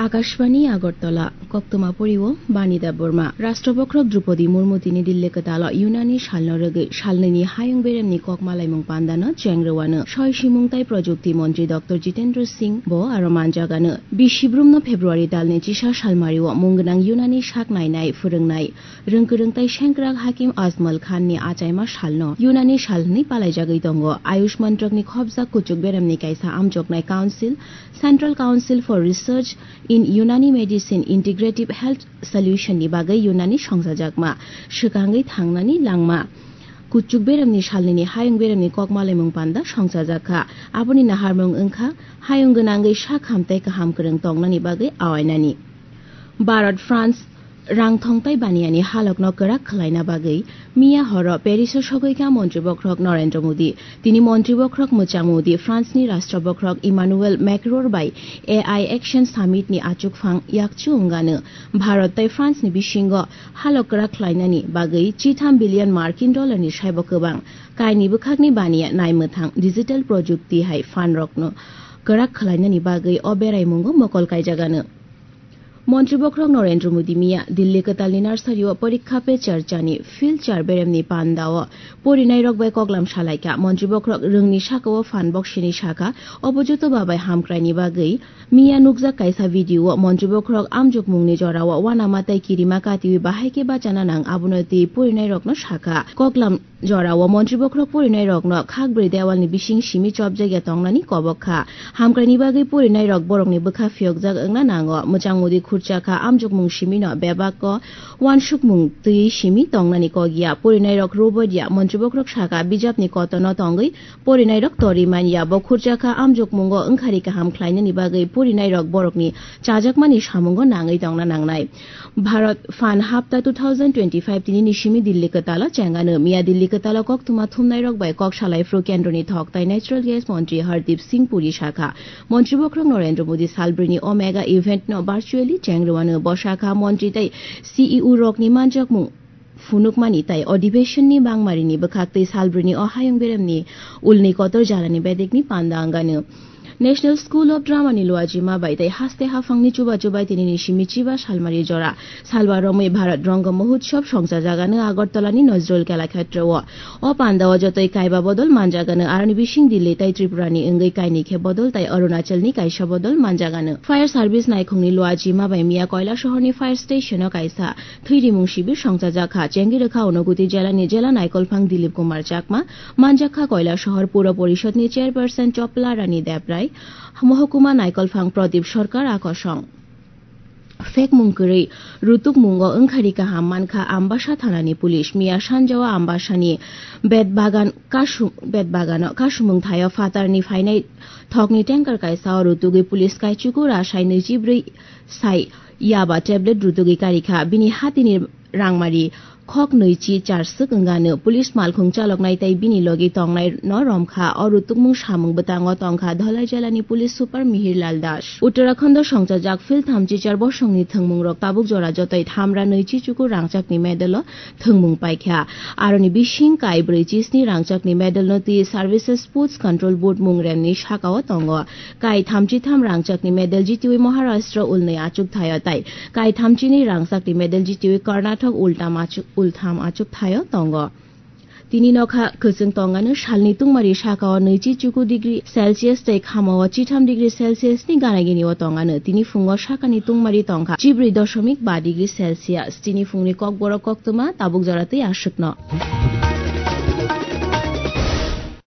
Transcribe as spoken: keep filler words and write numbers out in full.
Akashbani Agartala, koktwma poriwo Bani Debbarma. Rashtra bokhorok Droupadi Murmu tini Dilli kwtalo Yunani salno rwgwi salnwini hayung beremni kok malaimung pandano chengrwano. Soi simung tai projukti montri Doctor Jitendra Singh bo aro manjagano. Bisi brumno February talni chisa salmario mung gwnang Yunani sak nainai, phwrwngnai, rwngkwrwng tai sengkrak Hakim Ajmal Khan ni achaima salno Yunani sal hwnwi palaijagwi tongo. Ayush mantrakni khopjak kuchuk beremni kaisa amjoknai council, Central Council for Research in Unani Medicine Integrative Health Solution ni bagwi Yunani songchajakma, swkangwi thangnani langma. Kuchuk beremni salnini hayung beremni kok malaimung panda songchajak kha. Aboni naharmung wngkha hayung gwnangwi sak hamtai kaham kwrwng tongnani bagwi awainani. Bharat France rangthong tai baniyani halokno kwrak khwlaina bagwi miya horo Paris-o sogwi kha montri bokhorok Narendra Modi. Tini montri bokhorok mwchang Modi France-ni rashtra bokhorok Emmanuel Macron bai A I Action Summit-ni achukphang yakchu wngano. Bharat tai France-ni bisingo halok kwrak khwlainani bagwi chitham billion Markin dollar-ni saibo kwbang. Kaini bwkhakni baniya naimwthang digital projukti hai phan rokno kwrak khwlainani bagwi o beraimungo mokol kaijagano. Montri bokhorok Narendra Modi miya Dilli kwtalni nursery-o Porikha Pe Charcha-ni Field Char beremni pandao porinairok bai koklam salaikha. Montri bokhorok rwngni sakao phan boksini sakha, obo joto babai hamkraini bagwi. Miya nukjak kaisa video-o montri bokhorok amjokmungni jorao uanama tai kirima katiwi bahai khe bachana nang, abono twi porinairokno sakha. Koklam jorao montri bokhorok porinairokno khakbrwi dewalni bising simi chopjakya tongnani kobok kha. Hamkraini bagwi porinairok borokni bwkha phiyokjak wngna nango. Mwchang Modi khurcha kha, amjokmung simino bebak o uansukmung twiwi simi tongnani kok ya. Porinairok rwbadia, montri bokhorok sakha, bijapni kotorno tongwi porinairok torwi man ya. Bo khurcha kha, amjokmungo wngkhari kaham khlainani bagwi porinairok borokni chajakmani samungo nangwi tongna nangnai. Bharat Phan Hapta two thousand twenty-five tini ni simi Dilli kwtalo chengano. Miya Dilli kwtalo koktwma thumnairok bai kok salai phru kendroni thok tai natural gas montri Hardeep Singh Puri sakha, montri bokhorok Narendra Modi salbrwini o mega event no virtually chengrwano. Bo sakha, montri tai C E O rokni manjakmung phunukmani tai adhibeshon ni bangmarini bwkhak tei salbrwini o hayung beremni ulni kotor jalani bedekni panda wngano. National School of Drama ni luajima bai tei haste haphangni chuba chubai tini ni simi chiba salmari jora salwa romwi Bharat Rango Mahotsav songchajagano Agartala ni Nazrul Kalakshetra o. O panda o jotoi kaiba bodol manjagano, aroni bising Delhi tai Tripura ni wngwi kaini khe bodol tai Arunachal ni kaisa bodol manjagano. Fire service naikhungni luajima bai miya Koilasohor ni fire station o kaisa thwi rimung sibir songchajak kha. Chengwi rwkha Unakoti jela ni jela naikolphang Dilip Kumar Chakma, manjak kha Koilasohor Puro Porishod ni chairperson Chopla Rani Debrai, mohokuma naikolphang Pradip Sarkar a kosong. Phekmung kwrwi rutukmungo wngkhari kaham mankha Ambasa thanani police. Miya sanjao Ambasani bet bagan kasu-, bet bagano kasumung thaio phatarni phainai thokni tanker kaisa o rutugwi police kaichuku rasai nwichibrwi sai yaba tablet rutugwi karikha. Bini hatini rangmari khok nwichi charswk wngano. Police malkhung chaloknai tei bini logi tongnai no romkha. O rutukmung samung bwtango tongkha Dholai jelani police super Mihir Lal Das. Uttarakhando songchajak field thamchi char bosongni thwngmungrok tabuk jora jotoi thamra nwichi chuku rangchakni medalo thwngmung paikha. Aroni bising kai brwi chisni rangchakni medalno twi Services Sports Control Board mungremni sakao tongo. Kai thamchi tham rangchakni medal jitiwi Maharashtra ulnwi achuk thaio tai kai thamchini rangchakni medal jitiwi Karnataka ultam achuk, ultham achuk thaio tongo. Tini nokha kwchwng tongano salni tungmari sakao nwichi chuku degree Celsius tei khamao chitham degree Celsius ni gana gini o tongano. Tini phungo sakani tungmari tongkha chibrwi doshomik ba degree Celsius. Tini phungni kokborok koktwma tabuk jora tei aswkno.